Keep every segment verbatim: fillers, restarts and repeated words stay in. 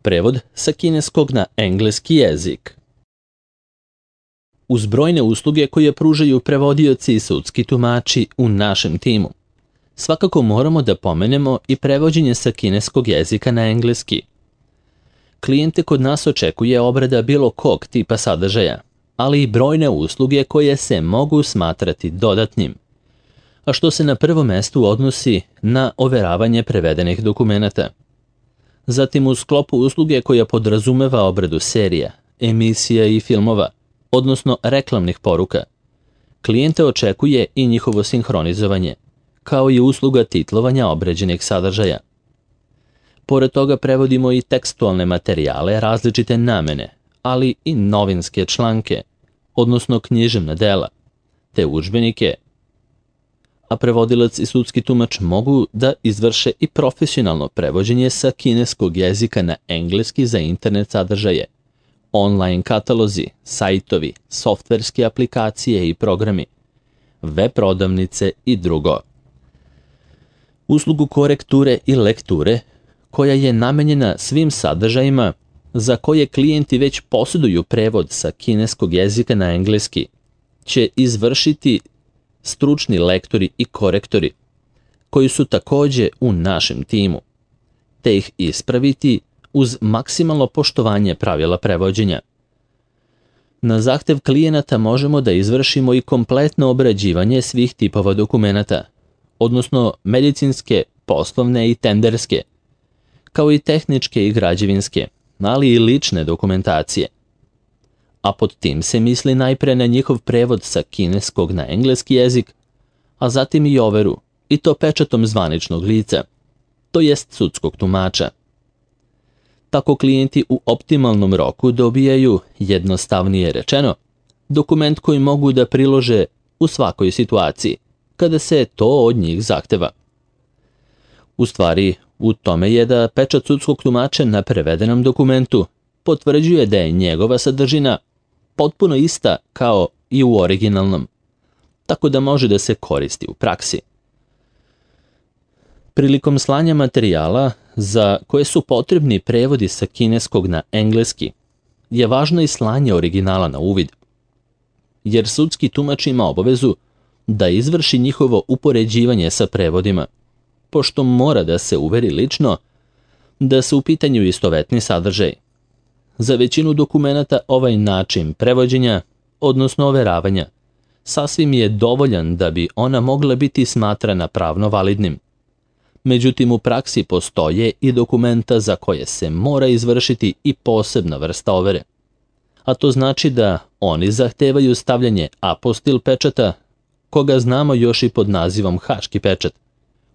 Prevod sa kineskog na engleski jezik. Uz brojne usluge koje pružaju prevodioci i sudski tumači u našem timu, svakako moramo da pomenemo i prevođenje sa kineskog jezika na engleski. Klijente kod nas očekuje obrada bilo kog tipa sadržaja, ali i brojne usluge koje se mogu smatrati dodatnim, a što se na prvo mestu odnosi na overavanje prevedenih dokumenata. Zatim u sklopu usluge koja podrazumeva obradu serija, emisija i filmova, odnosno reklamnih poruka, klijente očekuje i njihovo sinhronizovanje, kao i usluga titlovanja obrađenih sadržaja. Pored toga prevodimo i tekstualne materijale različite namene, ali i novinske članke, odnosno književna dela, te udžbenike, a prevodilac i sudski tumač mogu da izvrše i profesionalno prevođenje sa kineskog jezika na engleski za internet sadržaje, online katalozi, sajtovi, softverske aplikacije i programi, web prodavnice i drugo. Uslugu korekture i lekture, koja je namenjena svim sadržajima za koje klijenti već posjeduju prevod sa kineskog jezika na engleski, će izvršiti stručni lektori i korektori, koji su takođe u našem timu, te ih ispraviti uz maksimalno poštovanje pravila prevođenja. Na zahtev klijenata možemo da izvršimo i kompletno obrađivanje svih tipova dokumenata, odnosno medicinske, poslovne i tenderske, kao i tehničke i građevinske, ali i lične dokumentacije. A pod tim se misli najpre na njihov prevod sa kineskog na engleski jezik, a zatim i overu, i to pečatom zvaničnog lica, to jest sudskog tumača. Tako klijenti u optimalnom roku dobijaju, jednostavnije rečeno, dokument koji mogu da prilože u svakoj situaciji, kada se to od njih zahteva. U stvari, u tome je da pečat sudskog tumača na prevedenom dokumentu potvrđuje da je njegova sadržina potpuno ista kao i u originalnom, tako da može da se koristi u praksi. Prilikom slanja materijala za koje su potrebni prevodi sa kineskog na engleski, je važno i slanje originala na uvid, jer sudski tumač ima obavezu da izvrši njihovo upoređivanje sa prevodima, pošto mora da se uveri lično da su u pitanju istovetni sadržaj. Za većinu dokumenata ovaj način prevođenja, odnosno overavanja, sasvim je dovoljan da bi ona mogla biti smatrana pravno validnim. Međutim, u praksi postoje i dokumenta za koje se mora izvršiti i posebna vrsta overe. A to znači da oni zahtevaju stavljanje apostil pečata, koga znamo još i pod nazivom haški pečat,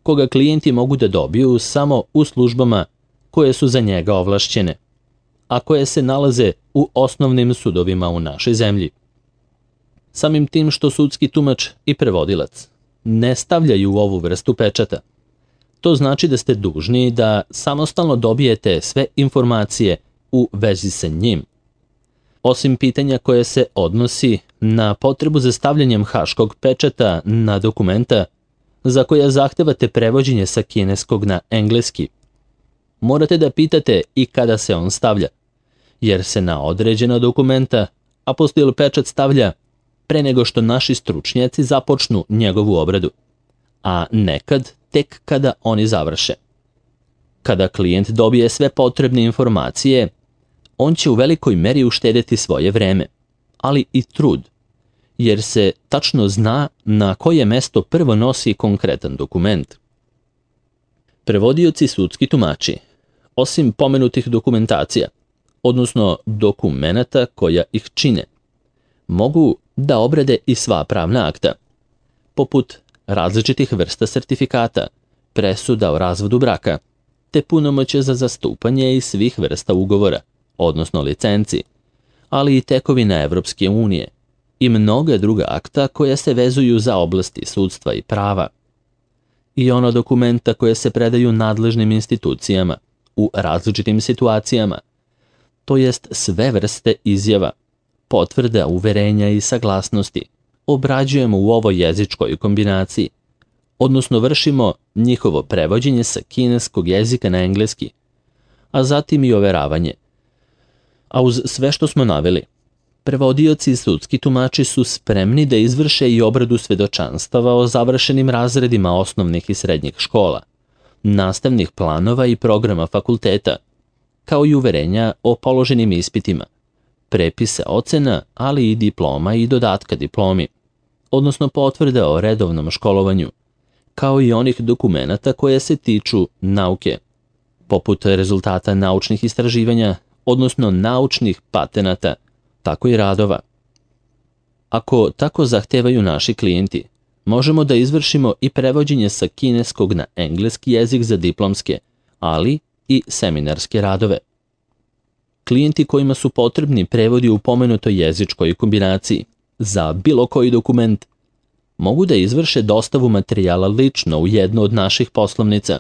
koga klijenti mogu da dobiju samo u službama koje su za njega ovlašćene, a koje se nalaze u osnovnim sudovima u našoj zemlji. Samim tim što sudski tumač i prevodilac ne stavljaju ovu vrstu pečata, to znači da ste dužni da samostalno dobijete sve informacije u vezi sa njim. Osim pitanja koje se odnosi na potrebu za stavljanjem haškog pečata na dokumenta za koja zahtevate prevođenje sa kineskog na engleski, morate da pitate i kada se on stavlja, jer se na određena dokumenta apostil pečat stavlja pre nego što naši stručnjaci započnu njegovu obradu, a nekad tek kada oni završe. Kada klijent dobije sve potrebne informacije, on će u velikoj meri uštedeti svoje vreme, ali i trud, jer se tačno zna na koje mesto prvo nosi konkretan dokument. Prevodioci sudski tumači, osim pomenutih dokumentacija, odnosno dokumenata koja ih čine, mogu da obrade i sva pravna akta, poput različitih vrsta sertifikata, presuda o razvodu braka, te punomoćje za zastupanje i svih vrsta ugovora, odnosno licenci, ali i tekovina Evropske unije i mnoga druga akta koja se vezuju za oblasti sudstva i prava. I ona dokumenta koje se predaju nadležnim institucijama u različitim situacijama, to jest sve vrste izjava, potvrda, uverenja i saglasnosti, obrađujemo u ovoj jezičkoj kombinaciji, odnosno vršimo njihovo prevođenje sa kineskog jezika na engleski, a zatim i overavanje. A uz sve što smo naveli, prevodioci i sudski tumači su spremni da izvrše i obradu svedočanstava o završenim razredima osnovnih i srednjih škola, nastavnih planova i programa fakulteta, kao i uverenja o položenim ispitima, prepise ocena, ali i diploma i dodatka diplomi, odnosno potvrde o redovnom školovanju, kao i onih dokumenata koje se tiču nauke, poput rezultata naučnih istraživanja, odnosno naučnih patenata, tako i radova. Ako tako zahtevaju naši klijenti, možemo da izvršimo i prevođenje sa kineskog na engleski jezik za diplomske, ali i seminarske radove. Klijenti kojima su potrebni prevodi u pomenutoj jezičkoj kombinaciji za bilo koji dokument mogu da izvrše dostavu materijala lično u jednu od naših poslovnica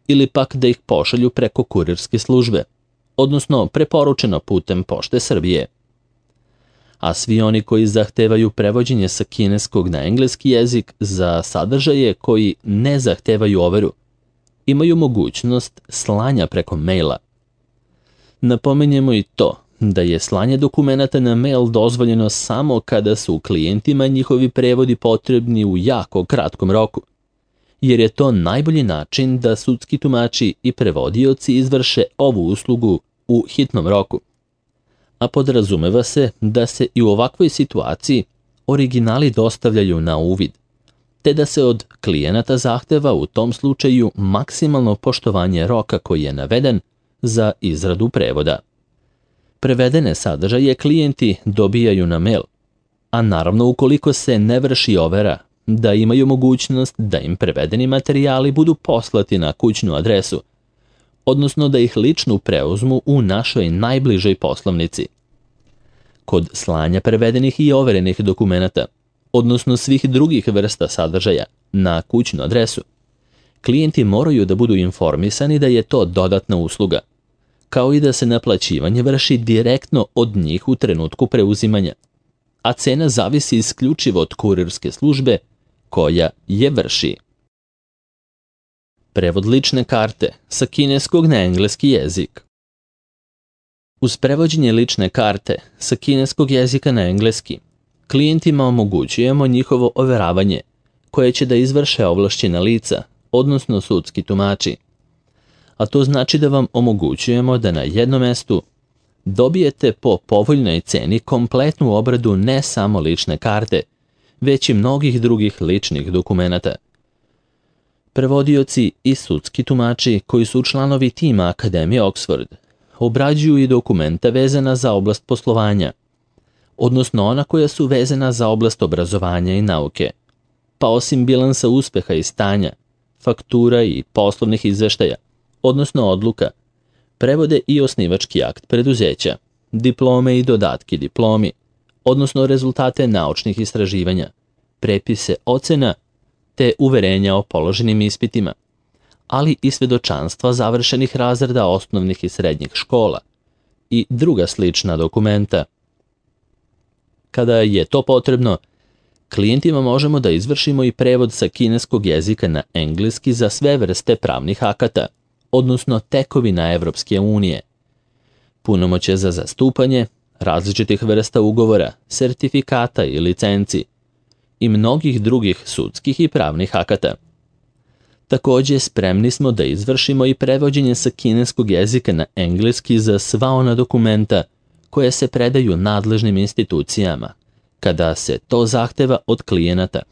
ili pak da ih pošalju preko kurirske službe, odnosno preporučeno putem Pošte Srbije. A svi oni koji zahtevaju prevođenje sa kineskog na engleski jezik za sadržaje koji ne zahtevaju overu, imaju mogućnost slanja preko maila. Napominjemo i to da je slanje dokumenata na mail dozvoljeno samo kada su klijentima njihovi prevodi potrebni u jako kratkom roku, jer je to najbolji način da sudski tumači i prevodioci izvrše ovu uslugu u hitnom roku. A podrazumeva se da se i u ovakvoj situaciji originali dostavljaju na uvid, te da se od klijenata zahteva u tom slučaju maksimalno poštovanje roka koji je naveden za izradu prevoda. Prevedene sadržaje klijenti dobijaju na mail, a naravno ukoliko se ne vrši overa, da imaju mogućnost da im prevedeni materijali budu poslati na kućnu adresu, odnosno da ih lično preuzmu u našoj najbližoj poslovnici. Kod slanja prevedenih i overenih dokumenata, odnosno svih drugih vrsta sadržaja na kućnu adresu, klijenti moraju da budu informisani da je to dodatna usluga, kao i da se naplaćivanje vrši direktno od njih u trenutku preuzimanja, a cena zavisi isključivo od kurirske službe koja je vrši. Prevod lične karte sa kineskog na engleski jezik. Uz prevođenje lične karte sa kineskog jezika na engleski, klijentima omogućujemo njihovo overavanje, koje će da izvrše ovlašćena lica, odnosno sudski tumači. A to znači da vam omogućujemo da na jednom mestu dobijete po povoljnoj ceni kompletnu obradu ne samo lične karte, već i mnogih drugih ličnih dokumenata. Prevodioci i sudski tumači koji su članovi tima Akademije Oxford obrađuju i dokumenta vezana za oblast poslovanja, odnosno ona koja su vezana za oblast obrazovanja i nauke, pa osim bilansa uspeha i stanja, faktura i poslovnih izveštaja, odnosno odluka, prevode i osnivački akt preduzeća, diplome i dodatki diplomi, odnosno rezultate naučnih istraživanja, prepise ocena te uverenja o položenim ispitima, ali i svedočanstva završenih razreda osnovnih i srednjih škola i druga slična dokumenta. Kada je to potrebno, klijentima možemo da izvršimo i prevod sa kineskog jezika na engleski za sve vrste pravnih akata, odnosno tekovina Evropske unije, punomoćje za zastupanje, različitih vrsta ugovora, sertifikata i licenci i mnogih drugih sudskih i pravnih akata. Takođe, spremni smo da izvršimo i prevođenje sa kineskog jezika na engleski za sva ona dokumenta koje se predaju nadležnim institucijama, kada se to zahteva od klijenata,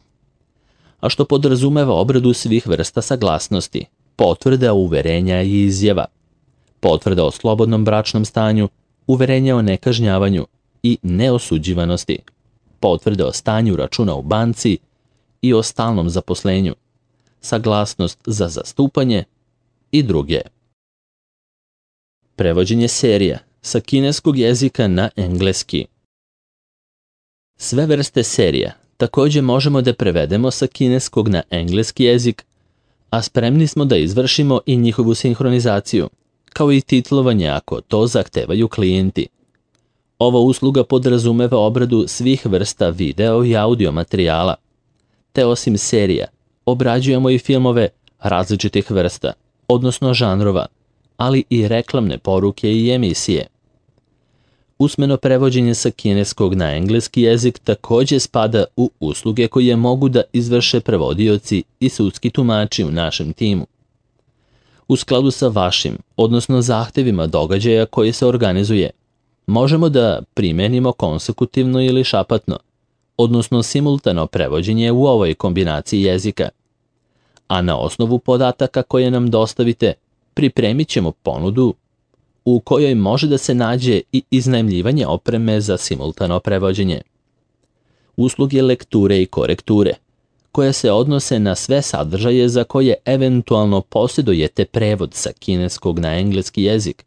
a što podrazumeva obradu svih vrsta saglasnosti, potvrda uverenja i izjava, potvrda o slobodnom bračnom stanju, uverenja o nekažnjavanju i neosuđivanosti, potvrde o stanju računa u banci i o stalnom zaposlenju, saglasnost za zastupanje i druge. Prevođenje serija sa kineskog jezika na engleski. Sve vrste serija takođe možemo da prevedemo sa kineskog na engleski jezik, a spremni smo da izvršimo i njihovu sinhronizaciju, kao i titlovanje ako to zahtevaju klijenti. Ova usluga podrazumeva obradu svih vrsta video i audio materijala, te osim serija, obrađujemo i filmove različitih vrsta, odnosno žanrova, ali i reklamne poruke i emisije. Usmeno prevođenje sa kineskog na engleski jezik takođe spada u usluge koje mogu da izvrše prevodioci i sudski tumači u našem timu. U skladu sa vašim, odnosno zahtevima događaja koji se organizuje, možemo da primenimo konsekutivno ili šapatno, odnosno simultano prevođenje u ovoj kombinaciji jezika. A na osnovu podataka koje nam dostavite, pripremit ćemo ponudu u kojoj može da se nađe i iznajmljivanje opreme za simultano prevođenje. Usluge lekture i korekture, koje se odnose na sve sadržaje za koje eventualno posjedujete prevod sa kineskog na engleski jezik,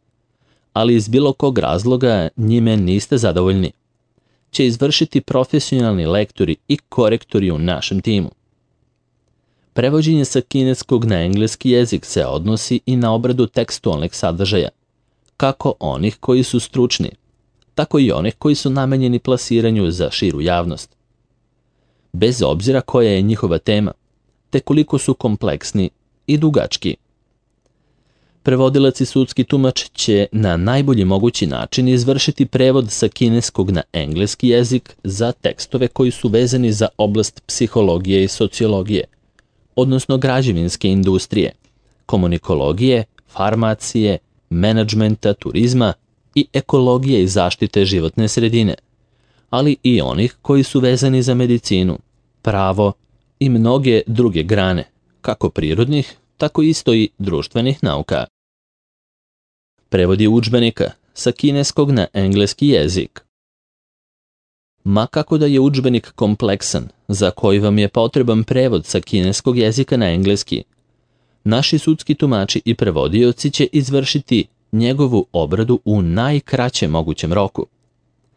ali iz bilo kog razloga njime niste zadovoljni, će izvršiti profesionalni lektori i korektori u našem timu. Prevođenje sa kineskog na engleski jezik se odnosi i na obradu tekstualnih sadržaja, kako onih koji su stručni, tako i onih koji su namenjeni plasiranju za širu javnost. Bez obzira koja je njihova tema, te koliko su kompleksni i dugački. Prevodilac i sudski tumač će na najbolji mogući način izvršiti prevod sa kineskog na engleski jezik za tekstove koji su vezani za oblast psihologije i sociologije, odnosno građevinske industrije, komunikologije, farmacije, menadžmenta, turizma i ekologije i zaštite životne sredine, ali i onih koji su vezani za medicinu, pravo i mnoge druge grane, kako prirodnih, tako isto i društvenih nauka. Prevodi udžbenika sa kineskog na engleski jezik. Ma kako da je udžbenik kompleksan, za koji vam je potreban prevod sa kineskog jezika na engleski, naši sudski tumači i prevodioci će izvršiti njegovu obradu u najkraćem mogućem roku,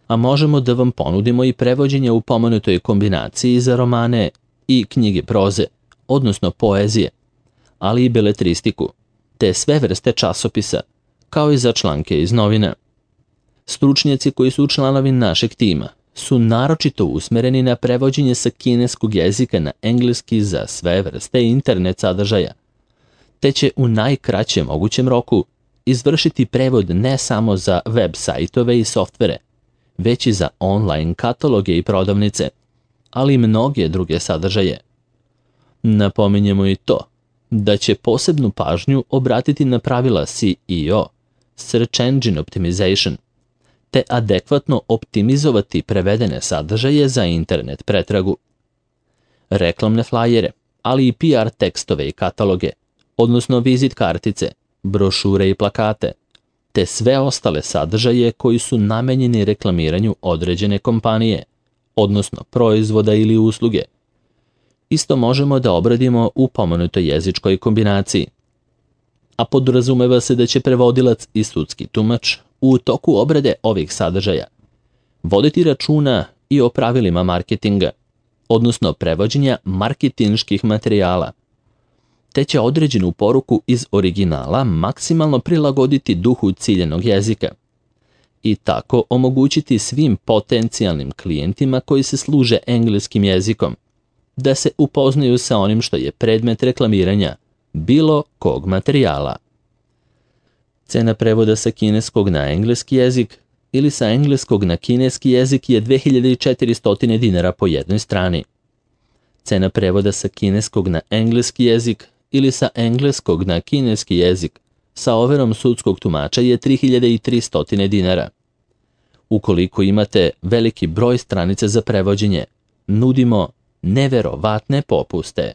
a možemo da vam ponudimo i prevođenje u pomenutoj kombinaciji za romane i knjige proze, odnosno poezije, ali i beletristiku, te sve vrste časopisa, kao i za članke iz novina. Stručnjaci koji su članovi našeg tima su naročito usmereni na prevođenje sa kineskog jezika na engleski za sve vrste internet sadržaja, te će u najkraćem mogućem roku izvršiti prevod ne samo za web sajtove i softvere, već i za online kataloge i prodavnice, ali i mnoge druge sadržaje. Napominjemo i to da će posebnu pažnju obratiti na pravila S E O, Search Engine Optimization, te adekvatno optimizovati prevedene sadržaje za internet pretragu. Reklamne flajere, ali i P R tekstove i kataloge, odnosno vizit kartice, brošure i plakate, te sve ostale sadržaje koji su namenjeni reklamiranju određene kompanije, odnosno proizvoda ili usluge. Isto možemo da obradimo u pomenutoj jezičkoj kombinaciji. A podrazumeva se da će prevodilac i sudski tumač u toku obrade ovih sadržaja voditi računa i o pravilima marketinga, odnosno prevođenja marketinških materijala, te će određenu poruku iz originala maksimalno prilagoditi duhu ciljenog jezika i tako omogućiti svim potencijalnim klijentima koji se služe engleskim jezikom da se upoznaju sa onim što je predmet reklamiranja bilo kog materijala. Cena prevoda sa kineskog na engleski jezik ili sa engleskog na kineski jezik je dve hiljade četiristo dinara po jednoj strani. Cena prevoda sa kineskog na engleski jezik ili sa engleskog na kineski jezik sa overom sudskog tumača je tri hiljade tristo dinara. Ukoliko imate veliki broj stranica za prevođenje, nudimo neverovatne popuste.